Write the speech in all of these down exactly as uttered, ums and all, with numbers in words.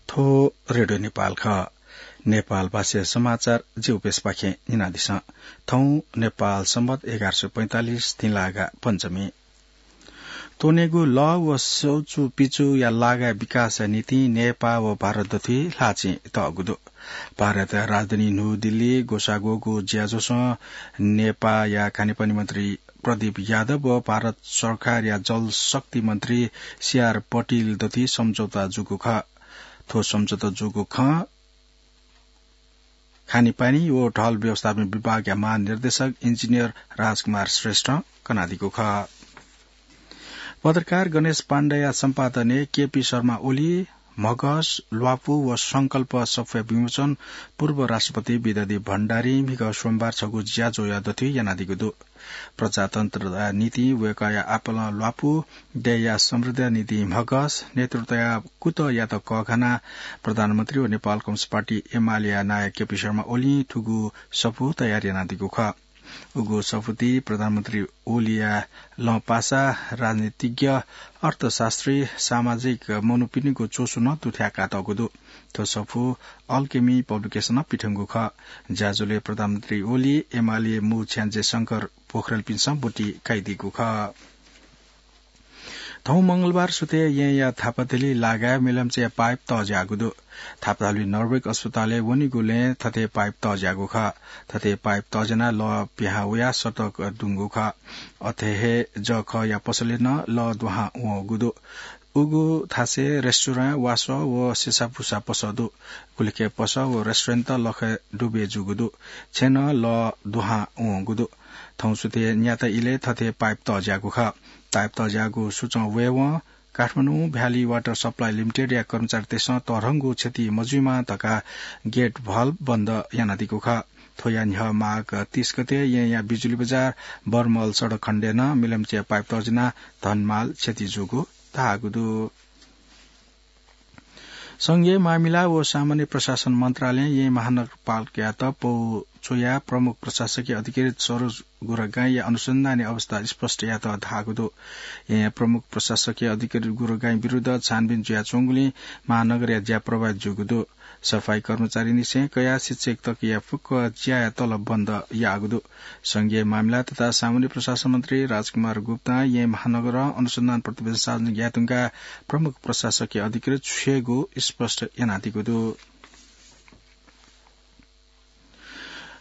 थ्व रेडियो नेपाल खः। नेपाल भाषा समाचार जिगु प्रेसपाखें न्यनादिसँ। थौं नेपाल संवत एघार सय पैंतालिस तिंलागा पञ्चमी। त्वनेगु लः व सौचु पिचुया लागा विकासया निंतिं नेपाः व भारत दथुइ ल्हाःचिं तःगु दु। भारतया राजधानी न्हू दिल्ली ग्वसाःग्वःगु ज्याझ्वलय् नेपाःया खानेपानी मन्त्री प्रदीप यादव व भारत सरकारया जलशक्ति मन्त्री सीआर पटेल दथुइ सम्झौता जूगु खः। थ्व सम्झौता जूगु खँ खानेपानी व ढल व्यवस्थापन विभागया महानिर्देशक इन्जिनियर राजकुमार श्रेष्ठं कनादीगु खः। पत्रकार गणेश पाण्डेया सम्पादनय् केपी शर्मा ओली, म्हगस, ल्वापु व संकल्प सफूया विमोचन पूर्व राष्ट्रपति विद्यादेवी भण्डारीं म्हिगः सोमबार छगू ज्याझ्वःया दथुइ यानादीगु दु। प्रजातन्त्रया निंतिं वय्कःया आपालं ल्वापु, देय्या समृद्धिया निंतिं म्हगस, नेतृत्वया कुतःयात कःघानाः प्रधानमन्त्री व नेपाल कम्युनिस्ट पार्टी एमालेया नायः केपी शर्मा ओलीं थुगु सफू तयार यानादीगु खः। उगु सफूति प्रधानमन्त्री ओलीया लँपासा, राजनीतिज्ञ, अर्थशास्त्री, सामाजिक मनूपिनिगु च्वसु नं दुथ्याकातःगु दु। थ्व सफू अल्केमी पब्लिकेसनं पिथंगु खः। ज्याझ्वलय् प्रधानमन्त्री ओली, एमाले मू छ्याञ्जे शंकर पोखरेलपिन्सं ब्वति कयादीगु खः। थौं मंगलबार सुथय् येँया थापाथली लागाय् मिलम्चया पाइप तःज्याःगु दु। थापाथली नर्वेक अस्पतालय् वनीगुलिं थथे पाइप तःज्याःगु खः। थथे पाइप तःज्यानाः लः पिहां वयाः सडक दुंगु खः। अथे हे जःखःया पसलय् नं लः दुहां वंगु दु। उगु थासय् रेस्टुरेन्ट, वासः व सेसापुसा पसः दु। गुलिखे पसः व रेस्टुरेन्टत लखय् डुबय् जूगु दु। छेँय् नं लः दुहां वंगु दु। थौं सुथय् न्याता इलय् थथे पाइप तःज्याःगु खः। पाइप तःज्याःगु सूचं वयेवं काठमाडौं भ्याली वाटर सप्लाई लिमिटेडया कर्मचारीतय्सं तःधंगु क्षति मजुइमा धकाः गेट भल्भ बन्द यानादीगु खः। थ्वया न्ह्यः माघ तीस गते येँया बिजुली बजार बर्मल सडक खण्डय् नं मिलम्चया पाइप तःज्यानाः धनमाल क्षति जूगु धाःगु दु। संघीय मामिला व सामान्य प्रशासन मन्त्रालयं येँ महानगरपालिकायात पौ च्वयाः प्रमुख प्रशासकीय अधिकृत सरोज गुरुगाईंया अनुसन्धानया अवस्था स्पष्ट यात धाःगु दु। येँया प्रमुख प्रशासकीय अधिकृत गुरुगाईं विरुद्ध छानबिन जुयाच्वंगुलिं महानगरया ज्या प्रभावित जूगु दु। सफाई कर्मचारीनिसें कयाः शिक्षक तकया फुक्क ज्याया तलब बन्द याःगु दु। संघीय मामिला तथा सामान्य प्रशासन मन्त्री राजकुमार गुप्तां येँ महानगरं अनुसन्धान प्रतिवेदन सार्वजनिक यायेधुंकाः प्रमुख प्रशासकीय अधिकृत छ्वयेगु स्पष्ट यानादीगु दु।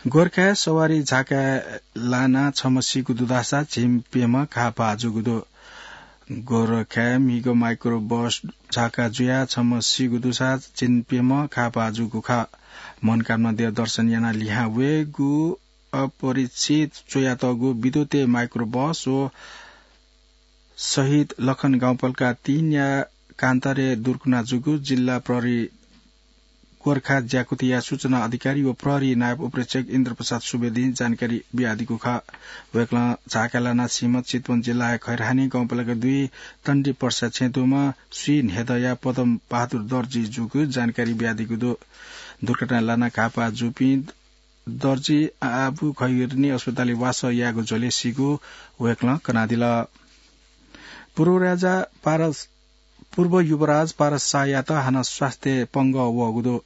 गोरखाय् सवारी झाकाय् लानाः छम्ह सीगु दुधासा झिंप्यम्ह घाःपाः जूगु दु। गोरखाय् म्हिगः माइक्रो बस झाका जुयाः छम्ह सीगु दुसा झिंप्यम्ह घाःपाः जूगु खः। मनोकामना देव दर्शन यानाः लिहां वयेगु अपरिचित च्वयातःगु विद्युतीय माइक्रो बस व शहीद लखन गाउँपालिका तीनया कान्तरे दुर्घटना जूगु जिल्ला प्रहरी गोरखा ज्याकुथिया सूचना अधिकारी व प्रहरी नायब उपरीक्षक इन्द्रप्रसाद सुवेदीं जानकारी बियादीगु खः। वय्कलं झाकाय् लानाः सीम्ह चितवन जिल्लाया खैरहानी गाउँपालिका दुई तण्डी पर्सा छेँय् दुम्ह स्वीन्हेदँया पदम बहादुर दर्जी जूगु जानकारी बियादीगु दु। दुर्घटनाय् लानाः घाःपाः जूपिं दर्जी आबु खैरहानी अस्पतालय् वासः यायेगु झ्वलय् सीगु वय्कलं कनादिल। पूर्व राजा पारस, पूर्व युवराज पारस शाहयात हानं स्वास्थ्य पंगः वःगु दु।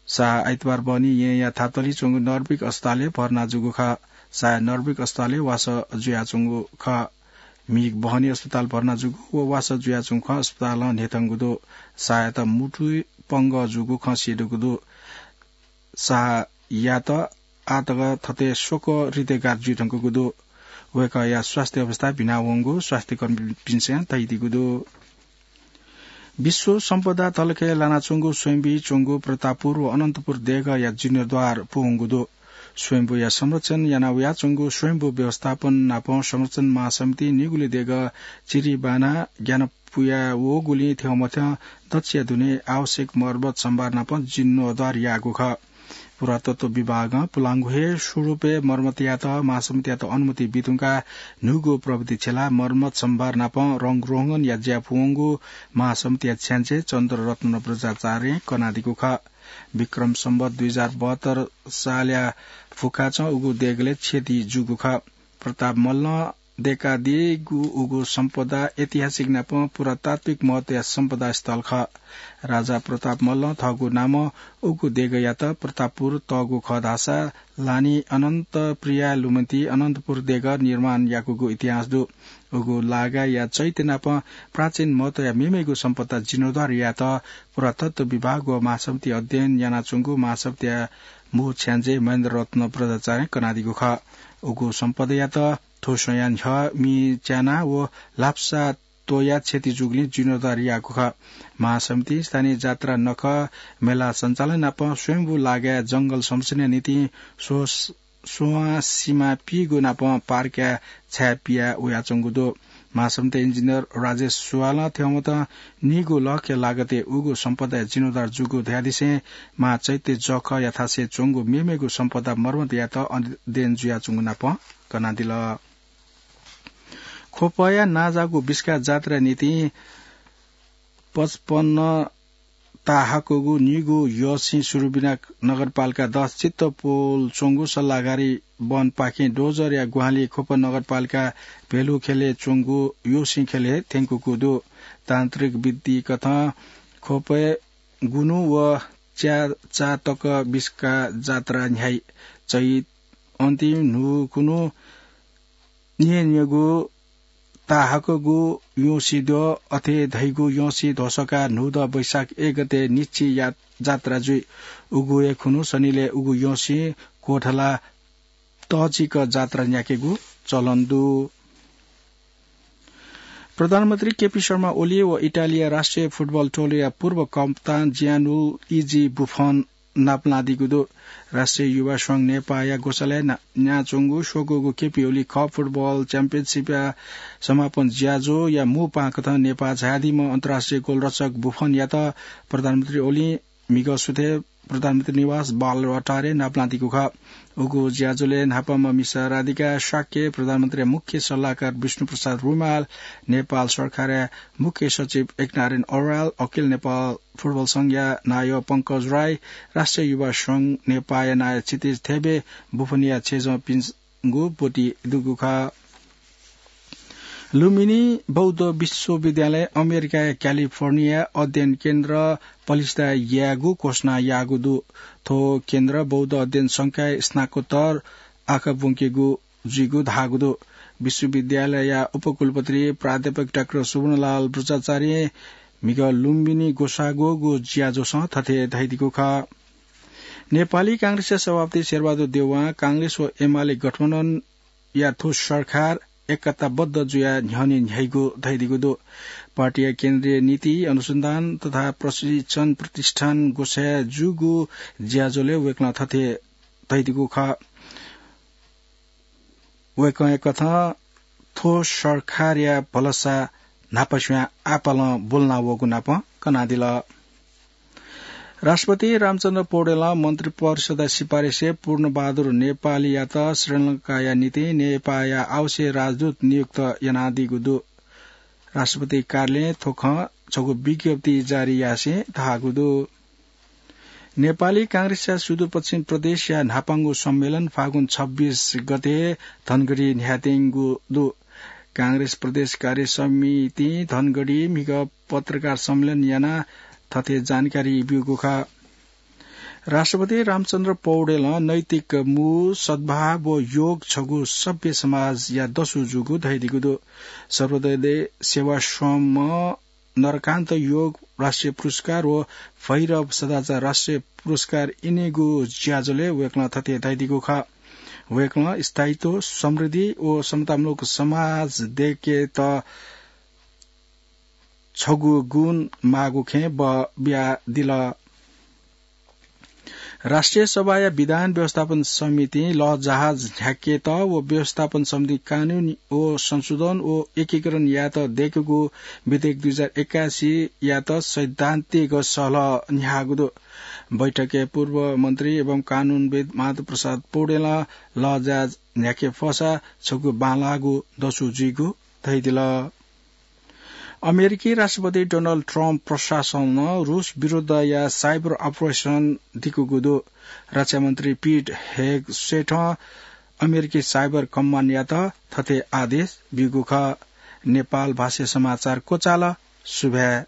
शाह आइतबार बहनी येँया थापाथली च्वंगु नर्विक अस्पतालय् भर्ना जूगु खः। शाह नर्विक अस्पतालय् वासः जुयाच्वंगु खः। म्हिगः बहनी अस्पताल भर्ना जूगु व वासः जुयाच्वंगु खँ अस्पतालं न्ह्यथंगु दु। शाहयात मुटुइ पंगः जूगु खँ स्येदुगु दु। शाहयात आःतक थथे स्वक्वः हृदयघात जुइधुंकूगु दु। वय्कःया स्वास्थ्य अवस्था भिनावंगु स्वास्थ्यकर्मीपिन्सं धयादीगु दु। विश्व सम्पदा तलखय् लानाच्वंगु स्वयम्भूइ च्वंगु प्रतापपुर व अनन्तपुर देगःया जीर्णोद्धार पूवंगु दु। स्वयम्भूया संरक्षण याना वयाच्वंगु स्वयम्भू व्यवस्थापन नापं संरक्षण महासमितिं निगुलिं देगः चिरिबाना ग्यानापुया वःगुलिं थ्यंमथ्यं दच्छिया दुने आवश्यक मर्मत सम्भार नापं जीर्णोद्धार याःगु खः। पुरातत्व विभागं पुलांगु हे स्वरूपय् मर्मत यायेत महासमितियात अनुमति बीधुंकाः न्हूगु प्रविधि छ्यलाः मर्मत सम्भार नापं रंगरोहंगनया ज्या पूवंगु महासमितिया छ्याञ्जे चन्द्ररत्न बज्राचार्यं कनादीगु खः। विक्रम सम्वत दुई हजार बहत्तर सालया फुकाचं उगु देगलय् क्षति जूगु खः। प्रताप मल्लं देकादीगु उगु सम्पदा ऐतिहासिक नापं पुरातात्विक महत्वया सम्पदा स्थल खः। राजा प्रताप मल्लं थःगु नामं उगु देगःयात प्रतापपुर तःगु खः धाःसा लानि अनन्त प्रिया लुमन्ति अनन्तपुर देगः निर्माण याकूगु इतिहास दु। उगु लागाया चैत्य नापं प्राचीन महत्वया मेमेगु सम्पदा जीर्णोद्धार यायेत पुरातत्व विभाग व महासमिति अध्ययन यानाच्वंगु महासमितिया मू छ्याञ्जे महेन्द्र रत्न बज्राचार्यं कनादीगु खः। उगु सम्पदायात थ्व स्वयां न्ह्यः मि च्याना व लाप्सा त्वया क्षति जूगुलिं जीर्णोद्धार याःगु खः। महासमितिं स्थानीय जात्रा नखः मेला सञ्चालन नाप स्वयम्भू लागाय् जंगल संरक्षणया निंतिं स्व-, स्वंसिमा पीगु नाप पार्कया छाय् पिया वयाच्वंगु दु। महासमिति इन्जिनियर राजेश सुवालं थ्यंमतं नीगू लखया लागतय् उगु सम्पदाया जीर्णोद्धार जूगु धयादिसें महाचैत्य जःखः याथासे च्वंगु मेमेगु सम्पदा मर्मत यायेत अध्ययन जुयाच्वंगु नाप कनादिल। ख्वपया नांजाःगु बिस्का जात्राया निंतिं पचपन्न ताहाकःगु नीगू यःसिं सुरुबिना नगरपालिका दस चित्तपोल च्वंगु सल्लाहकारी वनपाखें डोजरया ग्वाहालिं ख्वप नगरपालिका भेलु ख्यलय् च्वंगु यःसिं ख्यलय् थ्यंकूगु दु। तान्त्रिक विधि कथं ख्वपय् गुन्हु व च्याचा तक बिस्का जात्रा न्ह्याइ। चैत अन्तिम न्हूकुन्हु न्येन्येगु ताहाकःगु यःसिं द्यः, अथे धइगु यःसिं ध्वसका न्हूदँ वैशाख एक गते निच्छि या-, जात्रा जुइ। उगु हे खुन्हु सनिलय् उगु यःसिं क्वथला तःजिक जात्रा न्ह्याकेगु चलन दु। प्रधानमन्त्री केपी शर्मा ओली व इटालीया राष्ट्रिय फुटबल टोलीया पूर्व कप्तान जियानुल इजी बुफन नापलादीगु दु। राष्ट्रिय युवा संघ नेपाःया ग्वसालय् ना-, न्याच्वंगु स्वकूगु केपी ओली कप फुटबल च्याम्पियनसिपया समापन ज्याझ्वःया मू पाहांकथं नेपाः झायादीम्ह अन्तर्राष्ट्रिय गोलरक्षक बुफनयात प्रधानमन्त्री ओलीं म्हिगः सुथय् प्रधानमन्त्री निवास बालुवाटारय् नापलादीगु खः। उगु ज्याझ्वलय् न्हापांम्ह मिसा राधिका शाक्य, प्रधानमन्त्रीया मुख्य सल्लाहकार विष्णुप्रसाद रुमाल, नेपाल सरकारया मुख्य सचिव एकनारायण अर्याल, अखिल नेपाल फुटबल संघया नायः पंकज राई, राष्ट्रिय युवा संघ नेपाःया नायः क्षितिज थेबे, बुफनया छेँजःपिन्सगु ब्वति दुगु खः। लुम्बिनी बौद्ध विश्वविद्यालय अमेरिकाया क्यालिफोर्निया अध्ययन केन्द्र पलिस्था यायेगु घोषणा याःगु दु। थ्व केन्द्र बौद्ध अध्ययन संकाय स्नाकोत्तर आखा ब्वंकेगु जुइगु धाःगु दु। विश्वविद्यालयया उपकुलपति प्राध्यापक डाक्टर सुवर्णलाल बज्राचार्यं म्हिगः लुम्बिनी ग्वसाः ग्वःगु ज्याझ्वलं थथे धयादीगु खः। नेपाली कांग्रेसया सभापति शेरबहादुर देउवां कांग्रेस व एमाले गठबन्धनया थ्व सरकार एकताबद्ध जुयाः न्ह्यःने न्ह्याइगु धयादीगु दु। पार्टीया केन्द्रीय नीति अनुसन्धान तथा प्रशिक्षण प्रतिष्ठान ग्वसाः जूगु ज्याझ्वलय् वय्कलं थथे धयादीगु खः। वय्कःया कथं थ्व सरकारया भलसा न्हापास्वयां आपालं ब्वलना वःगु नाप कनादिल। राष्ट्रपति रामचन्द्र पौडेलं मन्त्रिपरिषदया सिफारिसय् पूर्णबहादुर नेपालीयात श्रीलंकाया निंतिं नेपाःया आवश्यक राजदूत नियुक्त यानादीगु दु। राष्ट्रपति कार्यालयं थ्व खँ छगू विज्ञप्ति जारी यासें धाःगु दु। नेपाली कांग्रेसया सुदूरपश्चिम प्रदेशया न्हापांगु सम्मेलन फागुन छब्बीस गते धनगढी न्ह्याथेंगु दु। कांग्रेस प्रदेश कार्य समितिं धनगढी म्हिगः पत्रकार सम्मेलन यानाः थथे जानकारी ब्यूगु खः। राष्ट्रपति रामचन्द्र पौडेलं नैतिक मू, सद्भाव व योग छगू सभ्य समाजया दसु जूगु धयादीगु दु। सर्वोदय सेवाश्रमं नरकान्त योग राष्ट्रिय पुरस्कार व भैरव सदाचार राष्ट्रिय पुरस्कार इनेगु ज्याझ्वलय् वय्कलं थथे धयादीगु खः। वय्कलं स्थायित्व, समृद्धि व समतामूलक समाज दयेकेत छगू गुण माःगु खँय् बः बियादिल। राष्ट्रिय सभाया विधान व्यवस्थापन समितिं लःजहाज न्ह्याकेत व व्यवस्थापन सम्बन्धी कानून व संशोधन व एकीकरण यायेत दय्कूगु विधेयक दुई हजार एकासीयात सैद्धान्तिक सहलह न्ह्याःगु दु। बैठकय् पूर्व मन्त्री एवं कानूनविद् माधव प्रसाद पौडेलं लःजहाज न्ह्याके फःसा छगू बांलाःगु दसु जुइगु धयादिल। अमेरिकी राष्ट्रपति डोनाल्ड ट्रम्प प्रशासनं रूस विरुद्धया साइबर अपरेसन दिकूगु दु। रक्षा मन्त्री पिट हेगसेथं अमेरिकी साइबर कम्मानयात थथे आदेश ब्यूगु खः। नेपाल भाषा समाचार क्वचाल। सुभाय्।